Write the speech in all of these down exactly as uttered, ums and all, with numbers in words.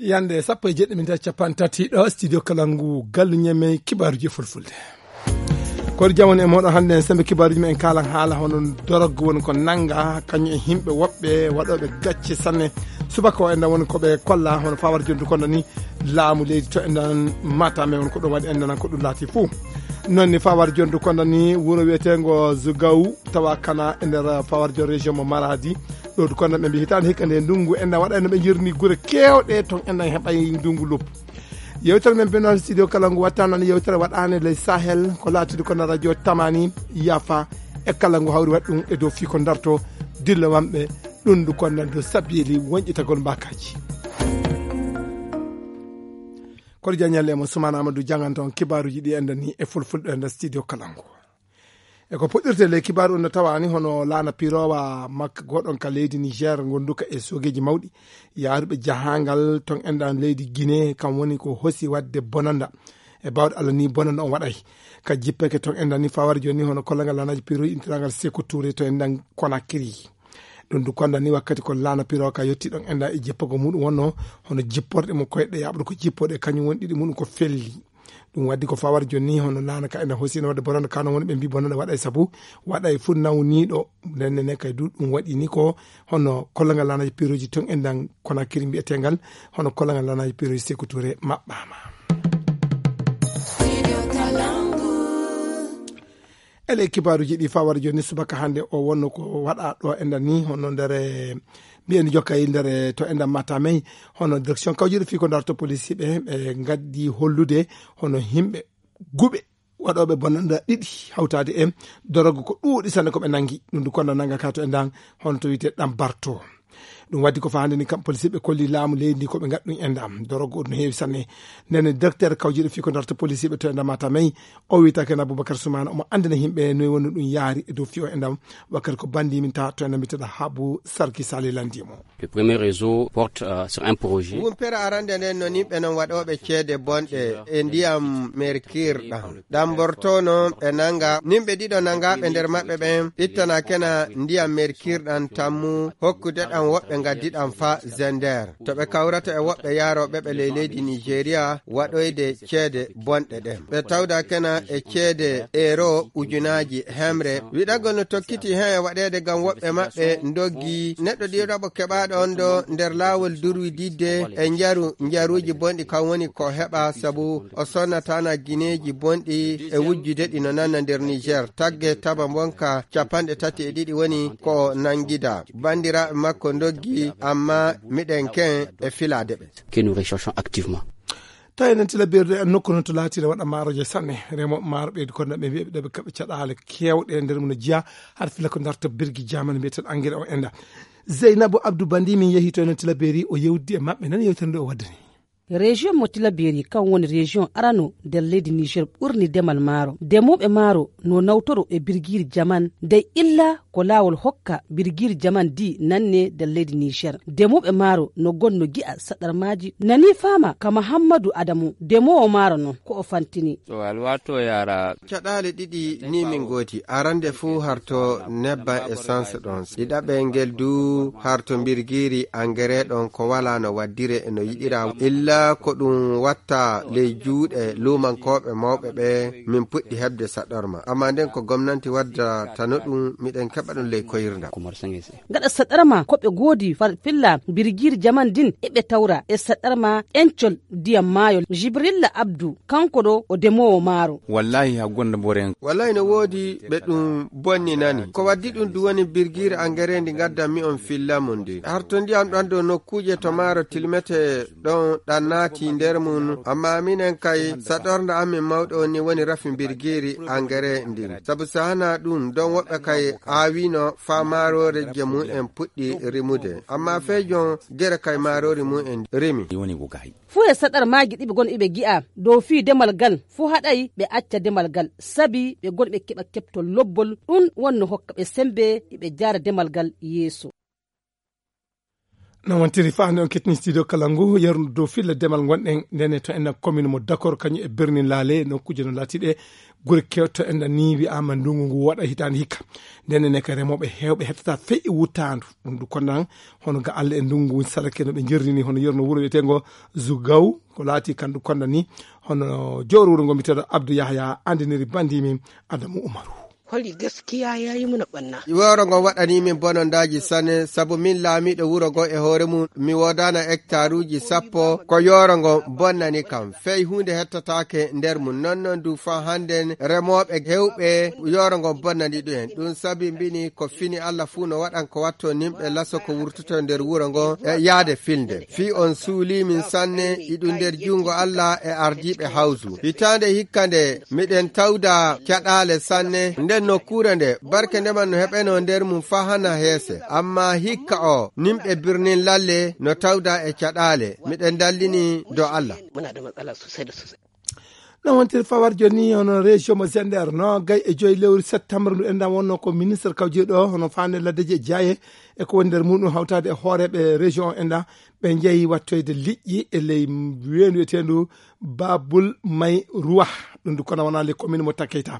Yande sappo e jeɗɗi min tawi capanɗe tati ɗo studio Kalangu, gallu ñemey kibaaruji e fulfulde. Koɗo jamanu e moɗon hannde en sembe kibaaruji men en kaalan haala hono dorog woni ko nannga kañum e himɓe woɓɓe waɗooɓe gacce sanne. Subaka o enɗan woni ko ɓe kolla hono fawar jondu kono ni laamu leydi to enɗan mata men woni ko ɗum waɗi enɗan ko ɗum laati fuu. Noon ni fawar jondu kono ni wuro wiyeteengo Zugaw tawa kana e nder fawar jon région mo Maradi. Ɗo du kono ɓe mbi hitaande hikka nde ndungu enɗan waɗa no ɓe jirni gure keewɗe ton enɗan heɓay ndungu luppu. Yewtere men benoon studio kala ngu wattano no yewtere waɗaane ley Sahel ko laatude kono radio tamani yafa e kala ngu hawri waɗi ɗum e dow fii ko darto dilla wamɓe ɗum ndu kono nan dow sabiyeli wonƴitagol mbakaji. Kono jañal e mo Sumana Amadou janganta on kibaaruji ɗi enɗan ni e fulfulde e nder studio kala ngu. E ko puɗɗirte ley kibaaru on no tawani hono laana pirowa makka goɗon ka leydi Niger gonduka e sogeji mawɗi yaaruɓe jahangal ton enɗan leydi Guinée kam woni ko hosi wadde bonanda. E bawɗe Allah ni bonanda on waɗay ka jippeke ton enɗan ni fawar joni hono kollagal laanaji piroji intirangal Sékou Touré to enɗan Conakry. Ɗum du konda ni wakkati ko laana piroka yetti ɗon enɗan e jippogo muɗum wonno hono jipporɗe mo koyɗe yaɓude ko jippoɗe kañum woni ɗiɗi muɗum ko felli. Ɗum waddi ko fawar joni ni hono laana ka ena hosino wadde bonanda kano woni ɓe mbi bonanda waɗa e sabu waɗa e fuu nawniɗo. Ndenne ne kay du ɗum waɗi ni ko hono kollagal laanaji piroji ton enɗan Conakry mbiyetengal hono kollagal laanaji piroji Sékou Touré maɓɓama. Ele kibaaruji ɗi fawar joni subaka hannde o wonno ko waɗa ɗo enɗan ni hono nder mbiyen jokkay nder to enɗan matamey hono direction kawjiɗo fii ko darto police ɓe ɓe gaddi hollude hono himɓe guɓe waɗooɓe bonanda ɗiɗi hawtaade e dorogo ko ɗuuɗi sanne ko ɓe nangi ɗum du kono nanga ka to enɗan hono to wiyte ɗan barto. Ɗum waddi ko fahande ni kam policier ɓe kolli laamu leydi ndi ko ɓe ngaɗɗum e ndam dorogo no heewi sanne. Nene directeur kawjiɗo fii ko darta policier ɓe to e ndam matamey o wiyta ken Aboubacar Soumana omo andina yimɓe noy woni ɗum yaari e dow fii o e ndam wakkati ko bandi min ta to e ndam mbiteɗa Habu Sarki Sali landimo. Le premier réseau porte euh, sur un projet. Wumpere arande nden no nimɓe non waɗooɓe ceede bonɗe e ndiyam merkir ɗam ɗam bortono ɓe nanga nimɓe ɗiɗo nangaɓe nder maɓɓe ɓen ittana kena ndiyam merkir ɗam tammu hokkude ɗam woɓɓe ngaddi ɗam fa zender to ɓe kawrata e woɓɓe yaroɓe ɓe ley leydi Nigeria waɗoyde ceede bonɗe ɗen ɓe tawda kena e ceede euro ujunaji hemre wiɗagol no tokkiti hen e waɗede gam woɓɓe maɓɓe ndoggi neɗɗo ɗiɗaɓo keɓaɗo on ɗo nder laawol durwididde e njaru njaruuji bonɗi kam woni ko heɓa sabu o sonnatana gineeji bonɗi e wujjude ɗi no nanna nder Niger tagge taba bonka capanɗe tati e ɗiɗi woni ko o nangida banndiraaɓe makko ndoggi amma miɗen ken e filaade ɓe. Que nous recherchons activement. Tawi enen tila berɗo en nokku noon to laatiɗo waɗa maaroje sanne remoɓe maaro ɓeydi kono ɓe mbiyaɓe ɗoɓe kaɓe caɗaale kewɗe e nder mum no jeeya haɗa filla ko darta birgi jamani mbiyeteɗo engrais o enda. Zeynabu Abdou Bandi min yehi to enen tila beeri o yewdi e maɓɓe nan yewtere nde o waddani. Région mo Tilaberi kan woni région arano nder leydi Niger ɓurni demal maaro. Demoɓe maaro no nawtoro e birgiri jaman dey illa ko laawol hokka birgiri jaman di nanne nder leydi Niger. Demoɓe maaro no gonno gi'a saɗarmaaji nani faama ka Mahammadu Adamu demowo maaro non ko o fantini. To alwato yara. Caɗaale ɗiɗi ni min gooti arande fuu harto nebban essence ɗon ɗiɗaɓe ngel du harto mbirgiiri angere ɗon ko wala no waddire e no yiɗira illa ko ɗum watta ley juuɗe luumankooɓe mawɓe ɓe min puɗɗi heɓde saɗorma amma nden ko gomnanti wadda tano ɗum miɗen keɓa ɗum ley koyirda. Gaɗa saɗarma ko ɓe goodi filla mbirgiiri jaman din eɓe tawra e saɗarma encol ndiyam maayol jibrilla abdu kanko ɗo o demoowo maaro. Wallahi ha gonda mboren. Wallahi no woodi ɓe ɗum bonni nani ko waddi ɗum du woni birgiire angere ndi gaddanmi on filla mum ndi harto ndiyam ɗon dow nokkuuje to maaro tilmete ɗon ɗan naati nder mum amma minen kay saɗornda amin mawɗo on ni woni rafi birgiiri angere ndin sabu sahana ɗum don woɓɓe kay aawino faa maaroore je mum en puɗɗi rimude amma fee jon gere kay maaroori mum en rimi. Fuu e saɗarmaaji ɗi ɓe gon iɓe gi'a dow fii demal gal fuu haɗay ɓe acca demal gal sabi ɓe gon ɓe keɓa keɓtol lobbol ɗun wonno hokka ɓe sembe iɓe jaara demal gal yeeso. No wontiri faa nde on kettini studio kala ngu, yarnu dow filla demal ngonɗen, ndene to enɗan commune mo Dakor, kañum e Bernin Laale, nokkuuje no laatiɗe gure kewto enɗan ni wi'aama ndungu ngu waɗa hitaande hikka. Ndene ne ka remooɓe heewɓe hettata fey e wuttaandu. Ɗum ndu kondan hono ga Allah e ndungu ngu salake no ɓe jerrini hono yerno wuro wi'eteengo Zugaw, ko laati kan ndu kondan ni hono jowro wuro ngo mbi'eteeɗo Abdou Yahya andiniri bandimi Adamu Umaru. Holi gaskiya ya yi muna ɓanna. Wuro ngo waɗani min bonondaaji sanne, sabu min laamiiɗo wuro ngo e hoore mum, mi woodaana hectaruuji sappo, ko yooro ngo bonnani kam. Fey huunde hettataake nder mum. Non non du faa hannden remooɓe heewɓe yooro ngo bonnani ɗum en. Ɗum sabi mbini ko fini Allah fuu no waɗan ko watto nimɓe laso ko wurtoto nder wuro ngo e yaade filnde. Fii on suulii min sanne, iɗum nder junngo Allah e ardiiɓe hawsu. Hitaande hikka nde, miɗen tawda caɗaale sanne. Nden nokkuure nde, barke ndeman no heɓenoo nder mum faa hana heese. Ammaa hikka o, nimɓe Birnin Lalle no tawda e caɗaale. Miɗen dallini dow Allah. Muna da matsala sosai da sosai. No wontiri fawar joni hono région mo Zender, no gay e joyi lewru septembre ndu enɗan wonno ko ministre kawjeeɗo hono faande laddeji e jaaye e ko woni nder muɗum hawtaade e hooreeɓe région o enɗan ɓe njehi wattoyde liƴƴi e ley weendu wiyeteendu Babul May Ruwa. Ɗum ndu kono wonaa le commune mo Takeyta.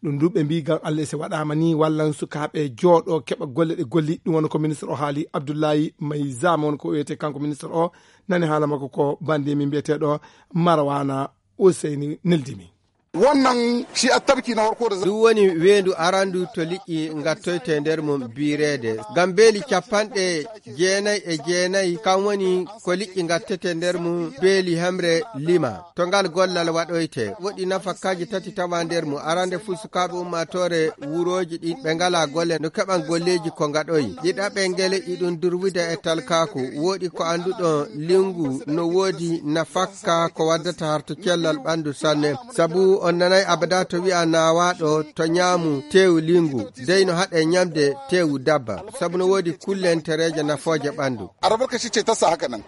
Ɗum ndu ɓe mbii ngam Allah si waɗaama ni wallan sukaaɓe jooɗo keɓa golle ɗe golli. Ɗum woni ko ministre o haali Abdoulaye May Zama woni ko wiyetee kanko ministre o. Nani haala makko ko bandi min mbiyeteeɗo Marwana Useyni neldimi. Wannan shi a tabki na farko da za- Ɗum woni weendu arandu to liƴƴi ngattoyte nder mum biireede. Ngam beeli capanɗe jeenayi e jeenayi, kam woni ko liƴƴi ngattete nder mum beeli hemre lima. To ngal gollal waɗoyte, woɗi nafakkaji tati tawa nder mum. Arande fuu sukaaɓe ummaatoore wurooji ɗi ɓe ngalaa golle no keɓan golleeji ko ngaɗoyi. Ɗiɗaɓe ngele iɗum durwida e talkaaku. Woɗi ko annduɗon lingu no woodi nafakka ko waddata harto cellal ɓanndu sanne. Sabu on nanay abada to wi'a naawaaɗo to ñaamu teewu lingu, dey no haɗe ñamde teewu dabba. Sabu no woodi kullentereeje nafooje ɓanndu. Arabar ka shi ce ta sa haka nan.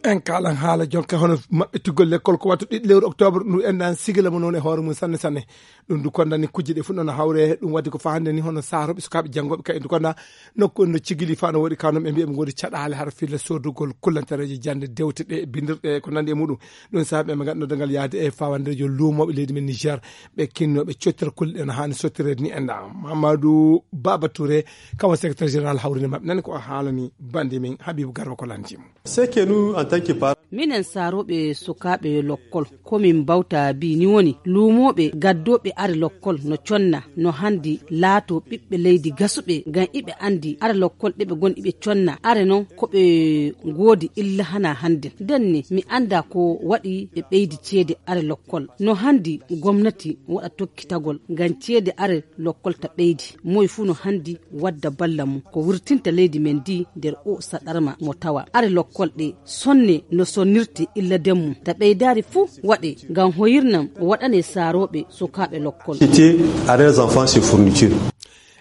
En kaalan haala jonka hono maɓɓitugol lekkol ko wattu ɗiɗi lewru octobre ndu enɗan sigila mo noon e hoore mum sanne sanne. Ɗum ndu kondani kujje ɗe fuu noon hawre ɗum waddi ko faa hannde ni hono saarooɓe sukaaɓe janngooɓe kay ndu konda nokku no cigili faa no woɗi kaw noon ɓe mbiya ɓe ngoodi caɗaale hara filla soodugol kullantareeje jannde dewte ɗe bindirɗe ko nanndi e muɗum. Ɗum sahaa ɓe ɓe ngaɗno dangal yaade e fawandeejo luumooɓe leydi men Niger ɓe kinnooɓe cottirkulle ɗe no haani sottireede ni enɗan. Mamadou Baba Touré kawa secrétaire général hawrinde maɓɓe nani ko o haalani bandi men Habibou Garba ko lanti mo. Seke nu en tant que parent. Minen saarooɓe sukaaɓe lokkol, ko min mbawta bi ni woni luumooɓe gaddooɓe are lokkol no conna no hanndi laato ɓiɓɓe leydi gasuɓe ngam iɓe anndi are lokkol ɗe ɓe ngon iɓe conna are noon ko ɓe ngoodi illa hana hannden. Nden ni mi annda ko waɗi ɓe ɓeydi ceede are lokkol. No hanndi gomnati waɗa tokkitagol ngam ceede are lokkol ta ɓeydi. Moy fuu no hanndi wadda balla mum ko wurtinta leydi men ndi nder o saɗarma mo tawa. Are lokkol ɗe sonne no sonnirte illa den mum. Ta ɓeydaari fuu waɗe ngam hoyirnam waɗane saarooɓe sukaaɓe lokkol. Cité à des enfants sur fourniture.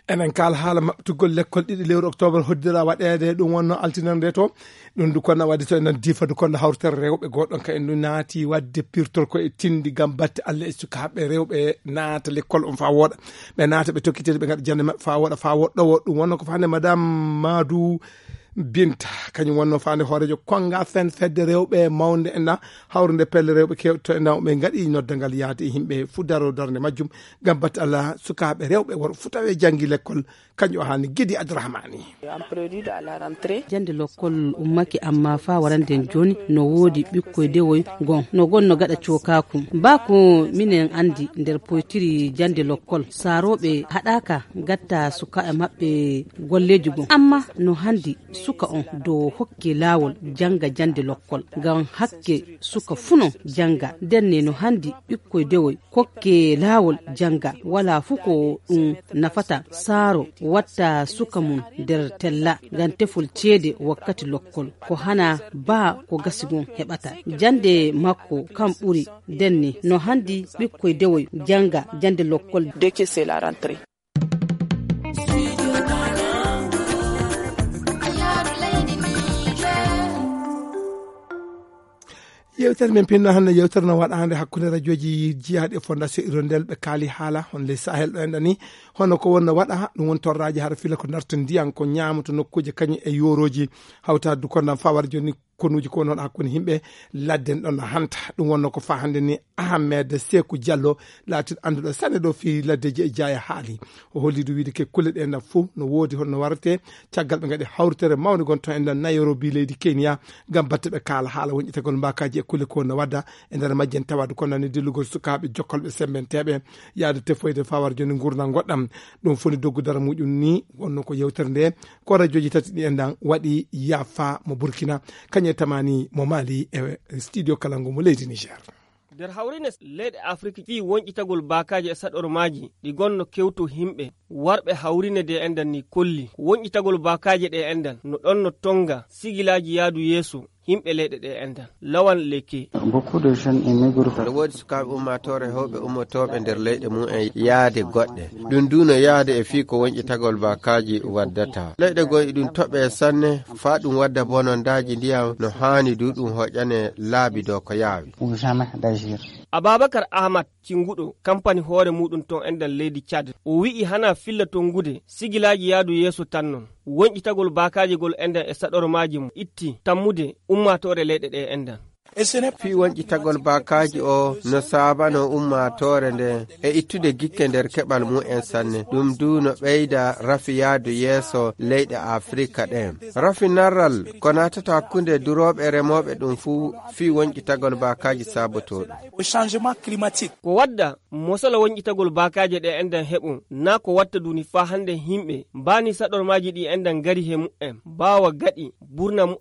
Enen kaal haala maɓɓitugol lekkol ɗiɗi lewru octobre hoddira waɗeede ɗum wonno altinen nde to. Ɗum ndu konna wadde to enen difa ndu konna hawritere rewɓe goɗɗon ka en ndu naati wadde pirtol ko e tindi ngam batte Allah e sukaaɓe rewɓe naata lekkol on faa wooɗa. Ɓe naata ɓe tokkitede ɓe ngaɗa jannde maɓɓe faa wooɗa faa woɗɗo woɗɗum wonno ko faande madame Madou Binta kañum wonno faande hooreejo konga fen fedde rewɓe mawnde enɗan hawrude pelle rewɓe kewɗe to enɗan ɓe ngaɗi noddangal yaade e yimɓe fuu daro darnde majjum ngam batte Allah sukaaɓe rewɓe worɓe fuu tawe janngi lekkol. Kañum o haalni Gidi Abdourahmani. Jannde lokkol ummake amma faa warande jooni no woodi ɓikkoy dewoy gon no gonno gaɗa cookaaku. Baa ko minen anndi nder poytiri jannde lokkol saarooɓe haɗaaka gatta sukaaɓe maɓɓe golleeji gon. Amma no hanndi suka on do hokke laawol jannga jannde lokkol ngam hakke suka fuu non jannga. Ndenne no hanndi ɓikkoy dewoy kokke laawol jannga walaa fuu ko ɗum nafata saaro watta suka mum nder tella ngam tefol ceede wakkati lokkol ko hana baa ko gasi gon heɓata jannde makko kam ɓuri. Ndenne no hanndi ɓikkoy dewoy jannga jannde lokkol. Yewtere men pinno hannde, yewtere no waɗa hannde hakkunde rajooji jiyaaɗi e Fondation Hirondelle, ɓe kaali haala on ley Sahel ɗo enɗan ni, hono ko wonno waɗa, ɗum woni torraaji hara fila ko narta ndiyan, ko ñaama to nokkuuje kañum e yoorooji, hawtaade du kondan fawar jooni konuuji ko woni hono hakkunde yimɓe ladden ɗon no hanta. Ɗum wonno ko faa hannde ni Ahmed Seku Diallo, laatiiɗo annduɗo sanne ɗo fii laddeeji e jaaya haali. O holli du wiide ke kulle ɗe enɗan fof no woodi hono no warate, caggal ɓe ngaɗi hawritere mawnde gon ton enɗan Nairobi leydi Kenya, ngam batte ɓe kaala haala wonƴetagol mbaakaaji e kulle ko no wadda e nder majjen, tawaade ko nani dillugol sukaaɓe jokkolɓe sembenteeɓe yaade tefoyde fawar jooni ngurndan goɗɗam. Ɗum foni doggu dara muɗum ni wonno ko yewtere nde ko rajooji tati ɗi enɗan waɗi, Yafa mo Burkina, kañum e Tamani mo Mali e studio Kalangu mo leydi Niger. Nder hawrine leyɗe Afrik fii wonƴitagol baakaaji e saɗormaaji ɗi gonno kewto yimɓe, warɓe hawrine de enɗan ni kolli ko wonƴitagol baakaaji ɗe enɗan no ɗon no tonga sigilaaji yaadu yeeso yimɓe leyɗe ɗe enɗan. Lawan Leke. Beaucoup de jeunes immigrent. No woodi sukaaɓe ummaatoore hewɓe ummotooɓe nder leyɗe mum en yaade goɗɗe. Ɗum du no yaade e fii ko wonƴitagol baakaaji waddata. Leyɗe goo e ɗum toɓe sanne, faa ɗum wadda bonondaaji ndiyam no haani du ɗum hoƴane laabi dow ko yaawi. Ou jamais d'agir. Ababakar Ahmad, cinguɗo kampani hoore muɗum ton enɗan leydi Tchad, o wi'i hana filla tongude sigilaaji yaadu yeeso tan non. Wonƴitagol baakaaji gol enɗan e saɗormaaji mum itti tammude ummaatoore leyɗe ɗe enɗan. Fii wonƴitagol baakaaji o no saabano ummaatoore nde e ittude gikke nder keɓal mum en sanne. Ɗum du no ɓeyda rafi yaadu yeeso leyɗe Afrika ɗen. Rafi narral ko naatata hakkunde durooɓe e remooɓe ɗum fuu fii wonƴitagol baakaaji saabotooɗum. Au changement climatique. Ko wadda mosala wonƴitagol baakaaje ɗe enɗan heɓo, naa ko watta duni faa hannde yimɓe mbaani saɗormaaji ɗi enɗan ngari he mu'en, mbaawa gaɗi burna